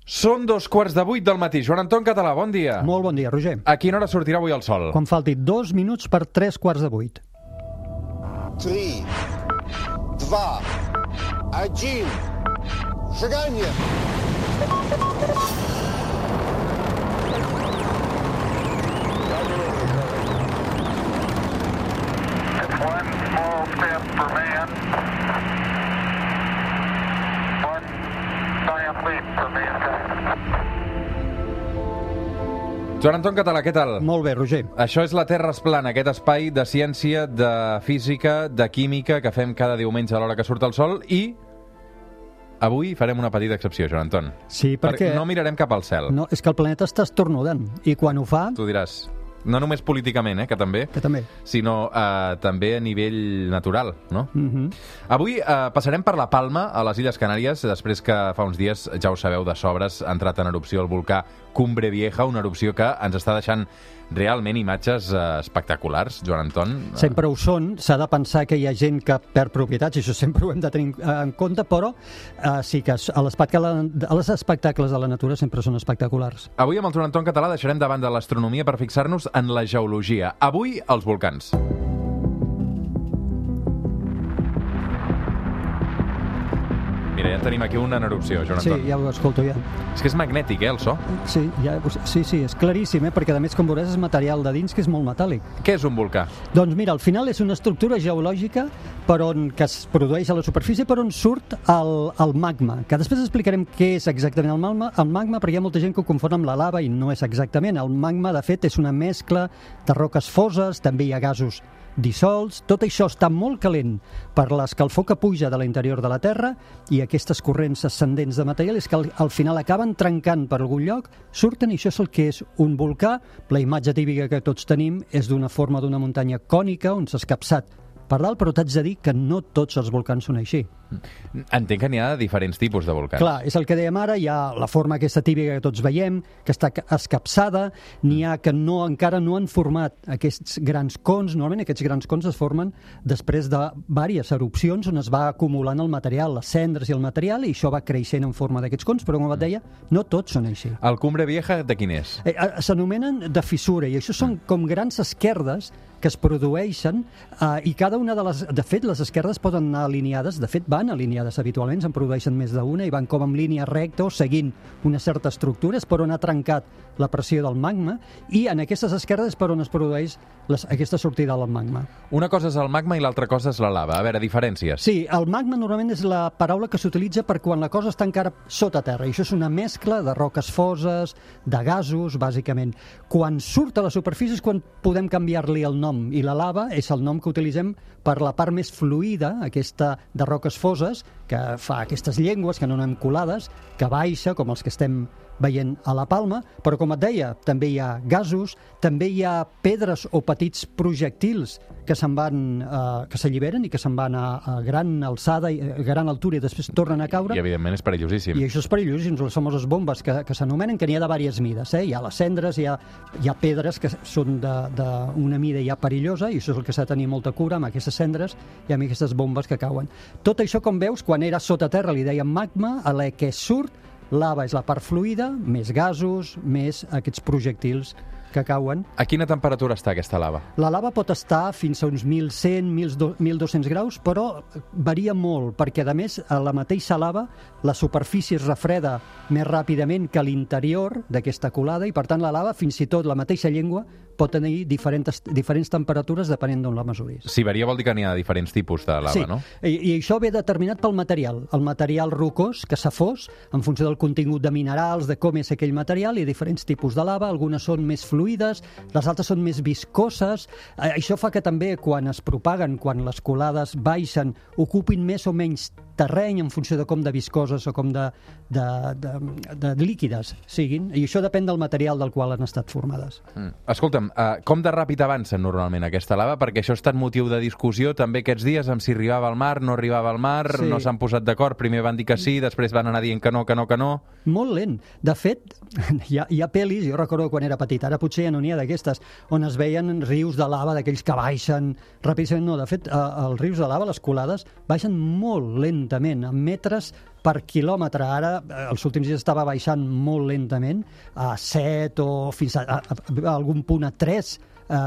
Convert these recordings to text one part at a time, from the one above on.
Són 2:15 del matí. Joan Anton Català, bon dia. Molt bon dia, Roger. A quina hora sortirà avui el sol? Quan falti 2 minuts per 7:45. 3, 2, 1, seganya! It's one small step for man, one giant leap for mankind. Joan Anton Català, què tal? Molt bé, Roger. Això és la Terra es plana, aquest espai de ciència, de física, de química que fem cada diumenge a l'hora que surt el sol i avui farem una petita excepció, Joan Anton. Sí, perquè... No mirarem cap al cel. No, és que el planeta està estornudant i quan ho fa... Tu diràs, no només políticament, que també, sinó també a nivell natural, no? Avui passarem per la Palma, a les Illes Canàries, després que fa uns dies, ja ho sabeu de sobres, ha entrat en erupció el volcà Cumbre Vieja, una erupció que ens està deixant realment imatges espectaculars, Joan Anton. Sempre ho són, s'ha de pensar que hi ha gent que perd propietats, i això sempre ho hem de tenir en compte, però sí que els espectacles de la natura sempre són espectaculars. Avui amb el Joan Anton Català deixarem davant de l'astronomia per fixar-nos en la geologia. Avui, els volcans. Mira, ja tenim aquí una en erupció, Joan Anton. Sí, ja ho escolto, ja. És que és magnètic, el so? Sí, és claríssim, perquè a més, com veuràs, és material de dins que és molt metàl·lic. Què és un volcà? Doncs mira, al final és una estructura geològica que es produeix a la superfície per on surt el magma, que després explicarem què és exactament el magma, perquè hi ha molta gent que ho confon amb la lava i no és exactament. El magma, de fet, és una mescla de roques foses, també hi ha gasos dissolts, tot això està molt calent per l'escalfor que puja de l'interior de la Terra i aquestes corrents ascendents de material és que al final acaben trencant per algun lloc, surten i això és el que és un volcà. La imatge típica que tots tenim és d'una forma d'una muntanya cònica on s'ha escapçat per dalt, però t'haig de dir que no tots els volcans són així. Entenc que n'hi ha diferents tipus de volcans. Clar, és el que dèiem ara, hi ha la forma aquesta típica que tots veiem, que està escapçada, n'hi ha que encara no han format aquests grans cons. Normalment aquests grans cons es formen després de diverses erupcions on es va acumulant el material, les cendres i el material, i això va creixent en forma d'aquests cons, però com et deia, no tots són així. El Cumbre Vieja de quin és? S'anomenen de fissura, i això són com grans esquerdes que es produeixen i cada una de les... De fet, les esquerdes poden anar alineades, de fet van alineades habitualment, se'n produeixen més d'una i van com en línia recta o seguint una certa estructura, és per on ha trencat la pressió del magma i en aquestes esquerdes és per on es produeix aquesta sortida del magma. Una cosa és el magma i l'altra cosa és la lava. A veure, diferències. Sí, el magma normalment és la paraula que s'utilitza per quan la cosa està encara sota terra, i això és una mescla de roques foses, de gasos, bàsicament. Quan surt a la superfície és quan podem canviar-li el nom, i la lava és el nom que utilitzem per la part més fluida, aquesta de roques foses, que fa aquestes llengües que no anem colades, que baixa, com els que estem veient a la Palma, però com et deia, també hi ha gasos, també hi ha pedres o petits projectils que que s'alliberen i que se'n van a gran alçada, a gran altura i després tornen a caure. I evidentment és perillosíssim. I això és perillosíssim, les famoses bombes que s'anomenen, que n'hi ha de diverses mides. Hi ha les cendres, hi ha pedres que són d'una mida ja perillosa, i això és el que s'ha de tenir molta cura amb aquestes cendres i amb aquestes bombes que cauen. Tot això, com veus, quan era sota terra li deien magma, a la que surt lava és la part fluida, més gasos, més aquests projectils que cauen. A quina temperatura està aquesta lava? La lava pot estar fins a uns 1.100, 1.200 graus, però varia molt, perquè a més a la mateixa lava la superfície es refreda més ràpidament que l'interior d'aquesta colada i per tant la lava, fins i tot la mateixa llengua, pot tenir diferents temperatures depenent d'on la mesuris. Si varia vol dir que n'hi ha diferents tipus de lava, sí, no? I això ve determinat pel material. El material rocós que s'ha fos, en funció del contingut de minerals, de com és aquell material, hi ha diferents tipus de lava, algunes són més fluides, les altres són més viscoses. Això fa que també quan es propaguen, quan les colades baixen, ocupin més o menys terreny en funció de com de viscoses o com de líquides siguin, i això depèn del material del qual han estat formades. Escolta'm, com de ràpid avancen normalment aquesta lava? Perquè això ha estat motiu de discussió també aquests dies amb si arribava al mar, no arribava al mar, sí. No s'han posat d'acord, primer van dir que sí, després van anar dient que no. Molt lent. De fet, hi ha pel·lis, jo recordo quan era petit, ara potser ja no n'hi ha d'aquestes, on es veien rius de lava d'aquells que baixen ràpidament. No, de fet, els rius de lava, les colades, baixen molt lentament, a metres per quilòmetre. Ara, els últims dies estava baixant molt lentament, a 7 o fins a algun punt a 3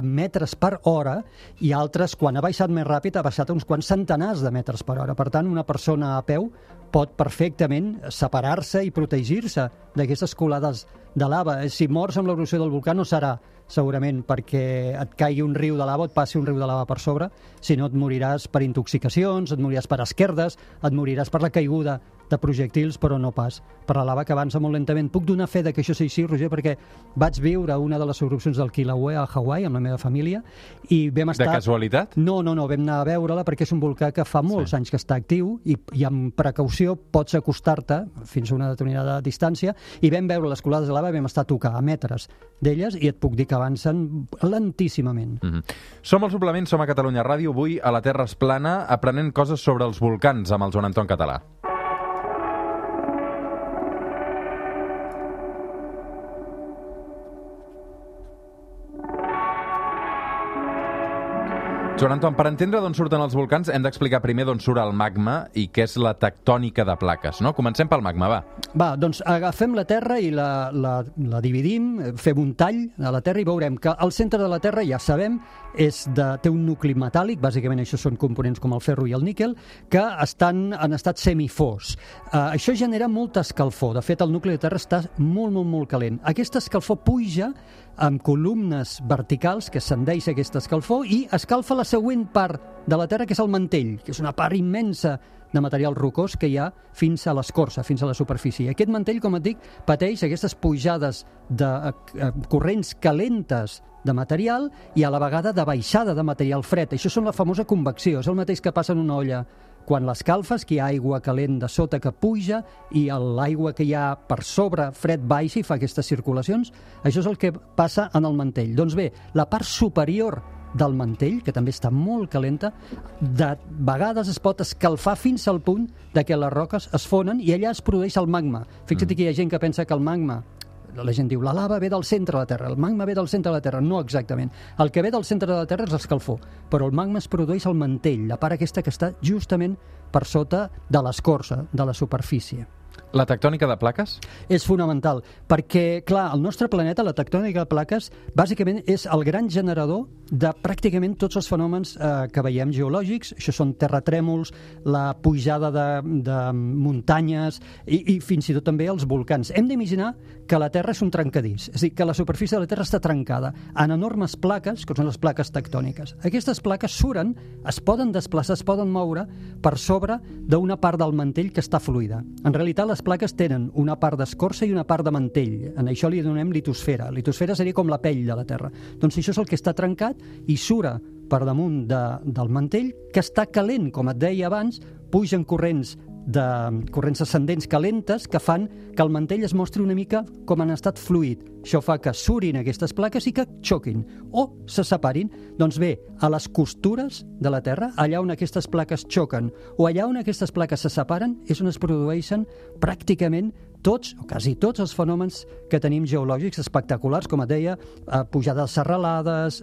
metres per hora, i altres, quan ha baixat més ràpid, ha baixat uns quants centenars de metres per hora. Per tant, una persona a peu pot perfectament separar-se i protegir-se d'aquestes colades de lava. Si mors amb l'erupció del volcà no serà segurament perquè et caigui un riu de lava o et passi un riu de lava per sobre, sinó et moriràs per intoxicacions, et moriràs per esquerdes, et moriràs per la caiguda de projectils, però no pas per la lava que avança molt lentament. Puc donar fe de que això sigui així, Roger, perquè vaig viure una de les erupcions del Kilauea a Hawaii amb la meva família i vam estar... De casualitat? No, vam anar a veure-la perquè és un volcà que fa molts anys que està actiu i amb precaució pots acostar-te fins a una determinada distància, i vam veure les colades de lava i vam estar a tocar a metres d'elles, i et puc dir que avancen lentíssimament. Som al Suplement, som a Catalunya Ràdio, avui a la Terra es plana, aprenent coses sobre els volcans amb el Joan Anton Català. Joan Anton, per entendre d'on surten els volcans hem d'explicar primer d'on surt el magma i què és la tectònica de plaques, no? Comencem pel magma, va. Va, doncs agafem la Terra i la dividim, fem un tall a la Terra i veurem que al centre de la Terra, ja sabem, té un nucli metàl·lic, bàsicament això són components com el ferro i el níquel, que han estat semifors. Això genera molta escalfor. De fet, el nucli de Terra està molt calent. Aquesta escalfor puja amb columnes verticals que ascendeix aquesta escalfor i escalfa la següent part de la Terra, que és el mantell, que és una part immensa de material rocós que hi ha fins a l'escorça, fins a la superfície. I aquest mantell, com et dic, pateix aquestes pujades de corrents calentes de material i a la vegada de baixada de material fred. Això és la famosa convecció, és el mateix que passa en una olla quan l'escalfes, que hi ha aigua calent de sota que puja i l'aigua que hi ha per sobre fred baixa i fa aquestes circulacions. Això és el que passa en el mantell. Doncs bé, la part superior del mantell, que també està molt calenta, de vegades es pot escalfar fins al punt de que les roques es fonen i allà es produeix el magma. Fixa't que hi ha gent que pensa que el magma, la gent diu, la lava ve del centre de la Terra, el magma ve del centre de la Terra. No exactament. El que ve del centre de la Terra és l'escalfor, però el magma es produeix al mantell, la part aquesta que està justament per sota de l'escorça, de la superfície. La tectònica de plaques? És fonamental, perquè, clar, el nostre planeta, la tectònica de plaques, bàsicament és el gran generador de pràcticament tots els fenòmens que veiem geològics. Això són terratrèmols, la pujada de muntanyes i fins i tot també els volcans. Hem d'imaginar que la Terra és un trencadís, és a dir, que la superfície de la Terra està trencada en enormes plaques, que són les plaques tectòniques. Aquestes plaques suren, es poden desplaçar, es poden moure per sobre d'una part del mantell que està fluida. En realitat, les plaques tenen una part d'escorça i una part de mantell. En això li donem litosfera. Litosfera seria com la pell de la Terra. Doncs això és el que està trencat i sura per damunt del mantell, que està calent, com et deia abans, pugen corrents ascendents calentes que fan que el mantell es mostri una mica com en estat fluid. Això fa que surin aquestes plaques i que xoquin o se separin. Doncs bé, a les costures de la Terra, allà on aquestes plaques xoquen o allà on aquestes plaques se separen, és on es produeixen pràcticament tots, o quasi tots, els fenòmens que tenim geològics espectaculars, com et deia, pujades serralades,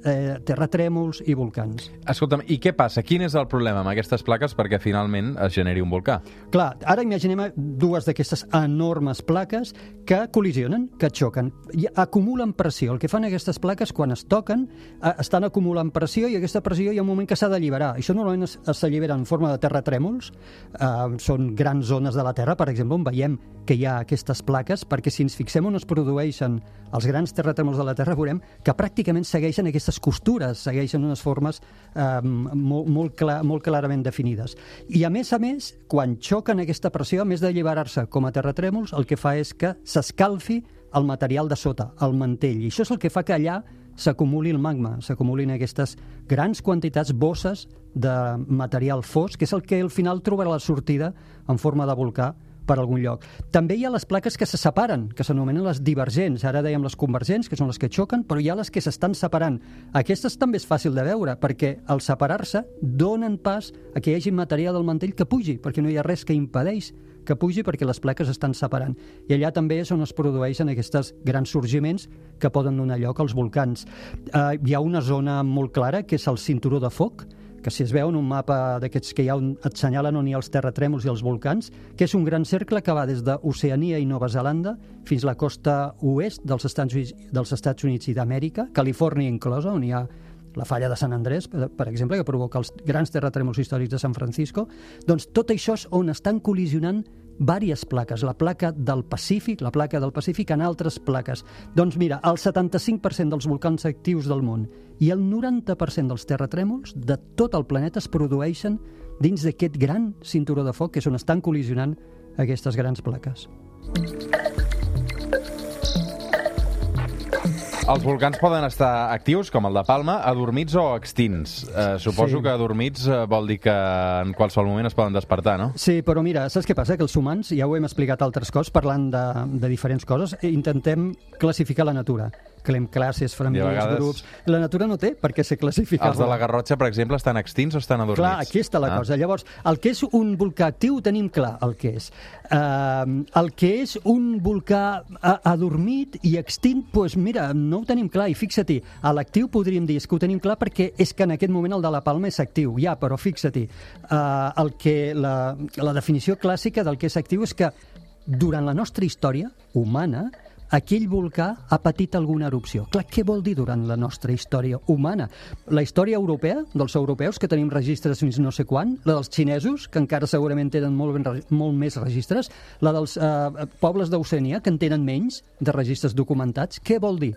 terratrèmols i volcans. Escolta'm, i què passa? Quin és el problema amb aquestes plaques perquè finalment es generi un volcà? Clar, ara imaginem dues d'aquestes enormes plaques que col·lisionen, que xoquen, i acumulen pressió. El que fan aquestes plaques, quan es toquen, estan acumulant pressió i aquesta pressió hi ha un moment que s'ha d'alliberar. Això normalment s'allibera en forma de terratrèmols. Són grans zones de la Terra, per exemple, on veiem que hi ha aquestes plaques, perquè si ens fixem on es produeixen els grans terratrèmols de la Terra, veurem que pràcticament segueixen aquestes costures, segueixen unes formes molt clarament definides. I a més, quan xoquen aquesta pressió, a més d'alliberar-se com a terratrèmols, el que fa és que s'escalfi el material de sota, el mantell. I això és el que fa que allà s'acumuli el magma, s'acumulin aquestes grans quantitats, bosses de material fosc, que és el que al final trobarà la sortida en forma de volcà per algun lloc. També hi ha les plaques que se separen, que s'anomenen les divergents. Ara dèiem les convergents, que són les que xoquen, però hi ha les que s'estan separant. Aquestes també és fàcil de veure, perquè al separar-se donen pas a que hi hagi material del mantell que pugi, perquè no hi ha res que impedeix que pugi perquè les plaques estan separant. I allà també és on es produeixen aquests grans sorgiments que poden donar lloc als volcans. Hi ha una zona molt clara, que és el cinturó de foc, que si es veu en un mapa d'aquests que hi ha on et senyalen on hi ha els terratrèmols i els volcans, que és un gran cercle que va des d'Oceania i Nova Zelanda fins a la costa oest dels Estats Units i d'Amèrica, Califòrnia inclosa, on hi ha la falla de Sant Andrés, per exemple, que provoca els grans terratrèmols històrics de San Francisco. Doncs tot això és on estan col·lisionant diverses plaques, la placa del Pacífic en altres plaques. Doncs mira, el 75% dels volcans actius del món i el 90% dels terratrèmols de tot el planeta es produeixen dins d'aquest gran cinturó de foc, que és on estan col·lisionant aquestes grans plaques. Els volcans poden estar actius, com el de Palma, adormits o extints. Suposo que adormits vol dir que en qualsevol moment es poden despertar, no? Sí, però mira, saps què passa? Que els humans, ja ho hem explicat altres cops, parlant de diferents coses, intentem classificar la natura. Creem classes, famílies, grups... La natura no té per què ser classificada. Els de la Garrotxa, per exemple, estan extints o estan adormits? Clar, aquí està la cosa. Llavors, el que és un volcà actiu ho tenim clar, el que és. El que és un volcà adormit i extint, doncs mira, no ho tenim clar. I fixa-t'hi, a l'actiu podríem dir que ho tenim clar perquè és que en aquest moment el de la Palma és actiu. Ja, però fixa-t'hi, la definició clàssica del que és actiu és que durant la nostra història humana aquell volcà ha patit alguna erupció. Clar, què vol dir durant la nostra història humana? La història europea, dels europeus, que tenim registres fins no sé quan, la dels xinesos, que encara segurament tenen molt més registres, la dels pobles d'Oceania, que en tenen menys de registres documentats. Què vol dir?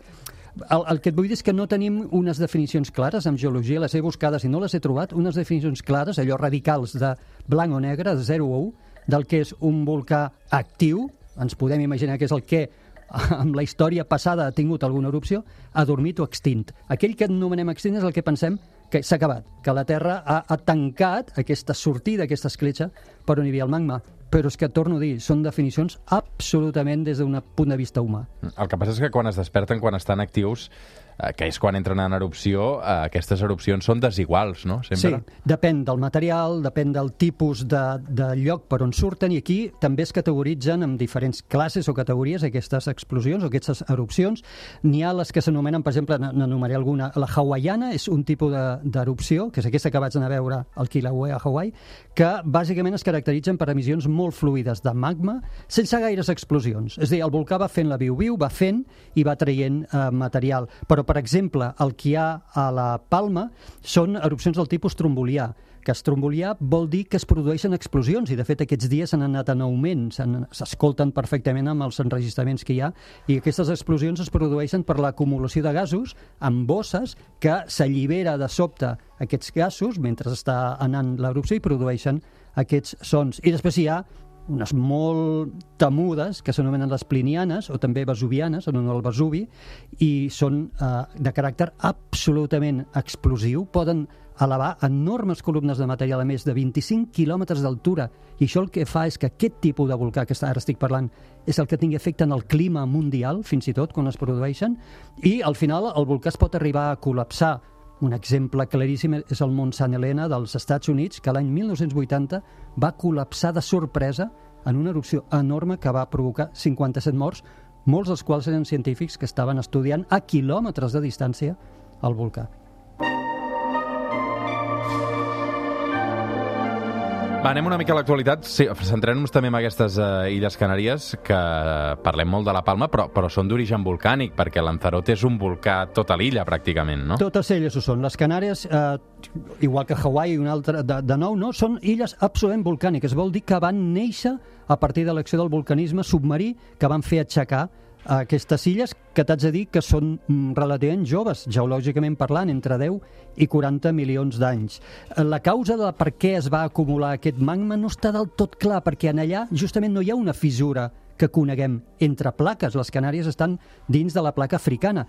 El que et vull dir és que no tenim unes definicions clares en geologia, les he buscades i no les he trobat, unes definicions clares, allò radicals de blanc o negre, de 0 o 1, del que és un volcà actiu, ens podem imaginar que és el que amb la història passada ha tingut alguna erupció, adormit o extint. Aquell que anomenem extint és el que pensem que s'ha acabat, que la Terra ha tancat aquesta sortida, aquesta escletxa per on hi havia el magma. Però és que, torno a dir, són definicions absolutament des d'un punt de vista humà. El que passa és que quan es desperten, quan estan actius, que és quan entren en erupció, aquestes erupcions són desiguals, no? Sempre. Sí, depèn del material, depèn del tipus de lloc per on surten, i aquí també es categoritzen en diferents classes o categories aquestes explosions o aquestes erupcions. N'hi ha les que s'anomenen, per exemple, n'enumeraré alguna, la hawaiana és un tipus d'erupció, que és aquesta que vaig anar a veure al Kilauea, a Hawaii, que bàsicament es caracteritzen per emissions molt fluides de magma sense gaires explosions. És a dir, el volcà va fent la viu-viu, va fent i va traient material. Però, per exemple, el que hi ha a la Palma són erupcions del tipus trombolià, que trombolià vol dir que es produeixen explosions, i de fet aquests dies han anat en augment, s'escolten perfectament amb els enregistraments que hi ha, i aquestes explosions es produeixen per l'acumulació de gasos en bosses que s'allibera de sobte aquests gasos mentre està anant l'erupció i produeixen aquests sons. I després hi ha unes molt temudes, que s'anomenen les plinianes, o també vesuvianes, en honor al Vesuvi, i són de caràcter absolutament explosiu, poden elevar enormes columnes de material a més de 25 quilòmetres d'altura, i això el que fa és que aquest tipus de volcà que ara estic parlant és el que tingui efecte en el clima mundial, fins i tot quan es produeixen, i al final el volcà es pot arribar a col·lapsar. Un exemple claríssim és el Mont St. Helena dels Estats Units, que l'any 1980 va col·lapsar de sorpresa en una erupció enorme que va provocar 57 morts, molts dels quals eren científics que estaven estudiant a quilòmetres de distància el volcà. Va, anem una mica a l'actualitat. Sí, centrem-nos també en aquestes Illes Canàries, que parlem molt de la Palma, però són d'origen volcànic, perquè Lanzarote és un volcà tota l'illa, pràcticament, no? Totes elles ho són. Les Canàries, igual que Hawaii i un altre, de nou, no? Són illes absolutament volcàniques. Vol dir que van néixer a partir de l'acció del vulcanisme submarí que van fer aixecar aquestes illes, que t'haig de dir que són relativament joves, geològicament parlant, entre 10 i 40 milions d'anys. La causa de per què es va acumular aquest magma no està del tot clar, perquè en allà justament no hi ha una fissura que coneguem entre plaques. Les Canàries estan dins de la placa africana.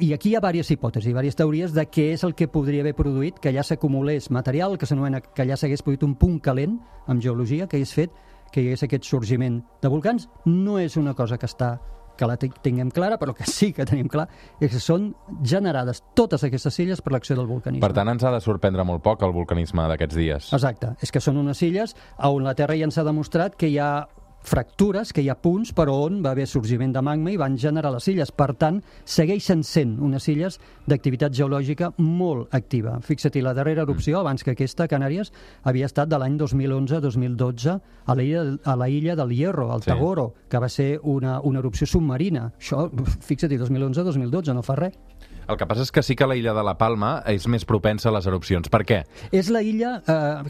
I aquí hi ha diverses hipòtesis, diverses teories de què és el que podria haver produït que allà s'acumulés material, que s'anomena que allà s'hagués produït un punt calent, amb geologia, que hagués fet que hi hagués aquest sorgiment de volcans. No és una cosa que està que la tinguem clara, però que sí que tenim clar, és que són generades totes aquestes illes per l'acció del vulcanisme. Per tant, ens ha de sorprendre molt poc el vulcanisme d'aquests dies. Exacte, és que són unes illes on la Terra ja ens ha demostrat que hi ha fractures, que hi ha punts per on va haver sorgiment de magma i van generar les illes. Per tant, segueixen sent unes illes d'activitat geològica molt activa. Fixa-t'hi, la darrera erupció, abans que aquesta, a Canàries, havia estat de l'any 2011-2012 a la illa del Hierro, al Tagoro, que va ser una erupció submarina. Això, fixa-t'hi, 2011-2012, no fa res. El que passa és que sí que la illa de la Palma és més propensa a les erupcions. Per què? És la illa,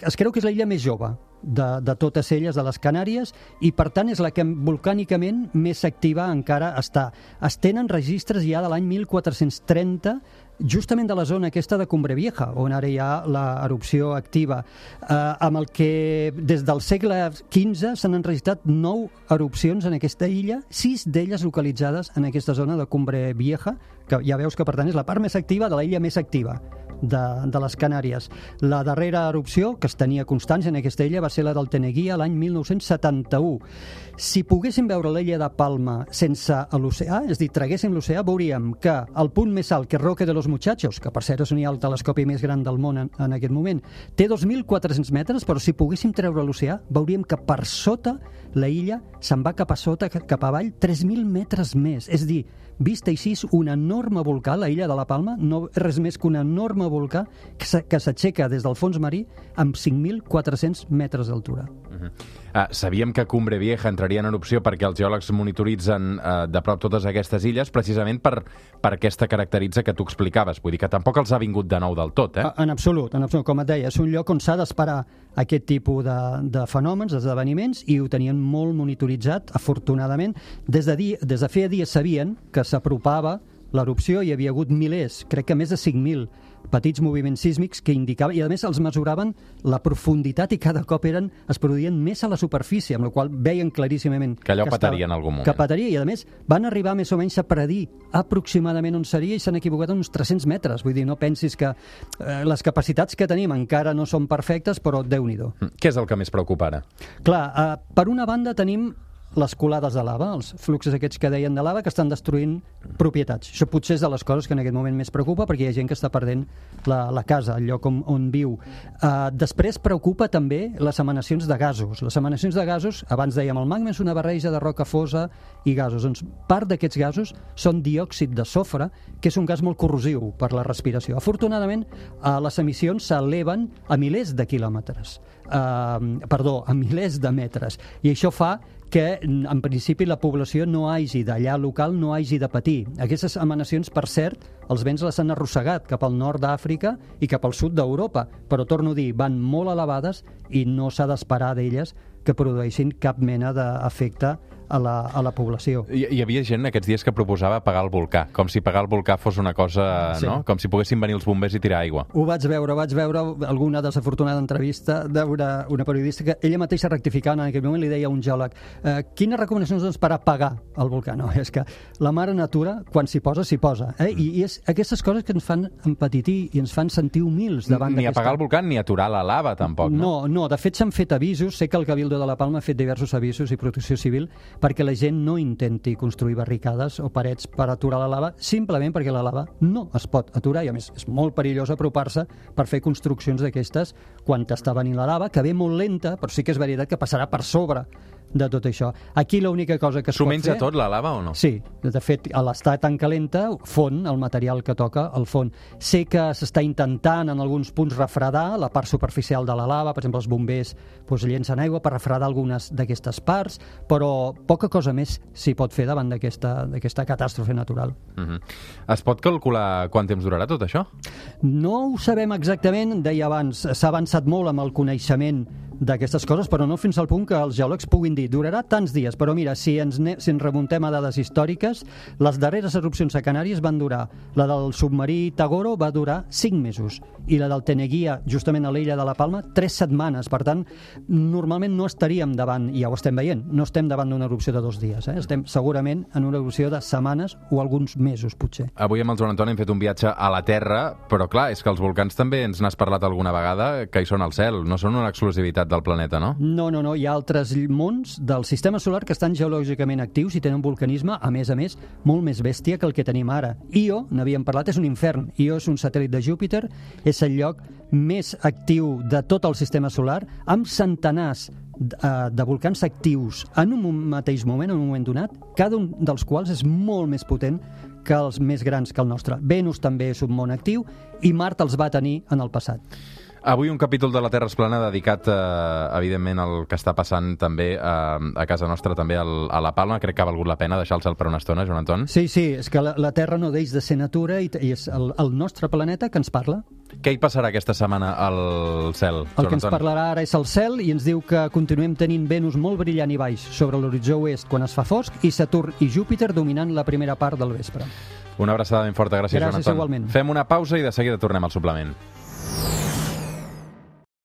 es creu que és la illa més jove de totes elles, de les Canàries, i per tant és la que volcànicament més activa encara està. Es tenen registres ja de l'any 1430, justament de la zona aquesta de Cumbre Vieja, on ara hi ha l'erupció activa, amb el que des del segle XV s'han enregistrat 9 erupcions en aquesta illa, 6 d'elles localitzades en aquesta zona de Cumbre Vieja, que ja veus que per tant és la part més activa de la illa més activa de les Canàries. La darrera erupció que es tenia constància en aquesta illa va ser la del Teneguía l'any 1971. Si poguéssim veure l'illa de Palma sense l'oceà, és a dir, traguéssim l'oceà, veuríem que el punt més alt, que és Roque de los Muchachos, que per cert és on hi ha el telescopi més gran del món en aquest moment, té 2.400 metres, però si poguéssim treure l'oceà, veuríem que per sota la illa se'n va cap a sota, cap avall, 3.000 metres més. És a dir, vista així, un enorme volcà, la illa de la Palma, no és res més que un enorme volcà que s'aixeca des del fons marí amb 5.400 metres d'altura. Sabíem que Cumbre Vieja entraria en erupció perquè els geòlegs monitoritzen de prop totes aquestes illes, precisament per aquesta caracterització que tu explicaves. Vull dir que tampoc els ha vingut de nou del tot, eh? En absolut. Com et deia, és un lloc on s'ha d'esperar aquest tipus de fenòmens, d'esdeveniments, i ho tenien molt monitoritzat, afortunadament. Des de feia dies sabien que s'apropava l'erupció, hi havia hagut milers, crec que més de 5.000 petits moviments sísmics que indicaven, i a més els mesuraven la profunditat i cada cop es produïen més a la superfície, amb la qual veien claríssimament que allò petaria en algun moment. Que petaria, i a més van arribar més o menys a predir aproximadament on seria i s'han equivocat uns 300 metres. Vull dir, no pensis que les capacitats que tenim encara no són perfectes, però Déu-n'hi-do. Què és el que més preocupa ara? Clar, per una banda tenim les colades de lava, els fluxos aquests que deien de lava, que estan destruint propietats. Això potser és de les coses que en aquest moment més preocupa, perquè hi ha gent que està perdent la casa, el lloc on viu. Després preocupa també les emanacions de gasos. Les emanacions de gasos, abans dèiem, el magma és una barreja de roca fosa i gasos. Doncs part d'aquests gasos són diòxid de sofre, que és un gas molt corrosiu per la respiració. Afortunadament, les emissions s'eleven a milers de quilòmetres. A milers de metres. I això fa que, en principi, la població no hagi d'allà local, no hagi de patir. Aquestes emanacions, per cert, els vents les han arrossegat cap al nord d'Àfrica i cap al sud d'Europa, però torno a dir, van molt elevades i no s'ha d'esperar d'elles que produeixin cap mena d'efecte a la població. Hi havia gent aquests dies que proposava apagar el volcà, com si apagar el volcà fos una cosa, sí, no? Com si poguessin venir els bombers i tirar aigua. Ho vaig veure alguna desafortunada entrevista d'una periodista que ella mateixa rectificant en aquell moment li deia a un geòleg quines recomanacions doncs per apagar el volcà? No, és que la mare natura, quan s'hi posa, s'hi posa. I és aquestes coses que ens fan empetitir i ens fan sentir humils davant d'aquesta... Ni apagar el volcà ni aturar la lava, tampoc, no? No, de fet s'han fet avisos, sé que el Cabildo de la Palma ha fet diversos avisos i Protecció Civil perquè la gent no intenti construir barricades o parets per aturar la lava, simplement perquè la lava no es pot aturar, i a més és molt perillós apropar-se per fer construccions d'aquestes quan t'està venint la lava, que ve molt lenta, però sí que és veritat que passarà per sobre de tot això. Aquí l'única cosa que es pot fer... S'ho menja tot, la lava, o no? Sí, de fet, a l'estar tan calenta, fon el material que toca al fons. Sé que s'està intentant en alguns punts refredar la part superficial de la lava, per exemple, els bombers llencen aigua per refredar algunes d'aquestes parts, però poca cosa més s'hi pot fer davant d'aquesta catàstrofe natural. Es pot calcular quant temps durarà tot això? No ho sabem exactament, deia abans, s'ha avançat molt amb el coneixement d'aquestes coses, però no fins al punt que els geòlegs puguin dir, durarà tants dies, però mira, si ens remuntem a dades històriques, les darreres erupcions a Canàries van durar, la del submarí Tagoro va durar 5 mesos, i la del Teneguía, justament a l'illa de la Palma, 3 setmanes. Per tant, normalment no estaríem davant, i ja ho estem veient, no estem davant d'una erupció de 2 dies, estem segurament en una erupció de setmanes o alguns mesos, potser. Avui amb el Joan Antoni hem fet un viatge a la Terra, però clar, és que els volcans també ens n'has parlat alguna vegada, que hi són al cel, no són una exclusivitat l'activitat del planeta, no? No. Hi ha altres mons del sistema solar que estan geològicament actius i tenen vulcanisme, a més, molt més bèstia que el que tenim ara. Io, n'havíem parlat, és un infern. Io és un satèl·lit de Júpiter, és el lloc més actiu de tot el sistema solar, amb centenars de volcans actius en un mateix moment, en un moment donat, cada un dels quals és molt més potent que els més grans que el nostre. Venus també és un món actiu i Mart els va tenir en el passat. Avui un capítol de la Terra es plana dedicat, evidentment, al que està passant també a casa nostra, també a la Palma. Crec que ha valgut la pena deixar el cel per una estona, Joan Anton. Sí, és que la Terra no deix de ser natura i és el nostre planeta que ens parla. Què hi passarà aquesta setmana al cel, Joan Anton? El que ens parlarà ara és el cel i ens diu que continuem tenint Venus molt brillant i baix sobre l'horitzó oest quan es fa fosc i Saturn i Júpiter dominant la primera part del vespre. Una abraçada ben forta. Gràcies, Joan Anton. Igualment. Fem una pausa i de seguida tornem al suplement.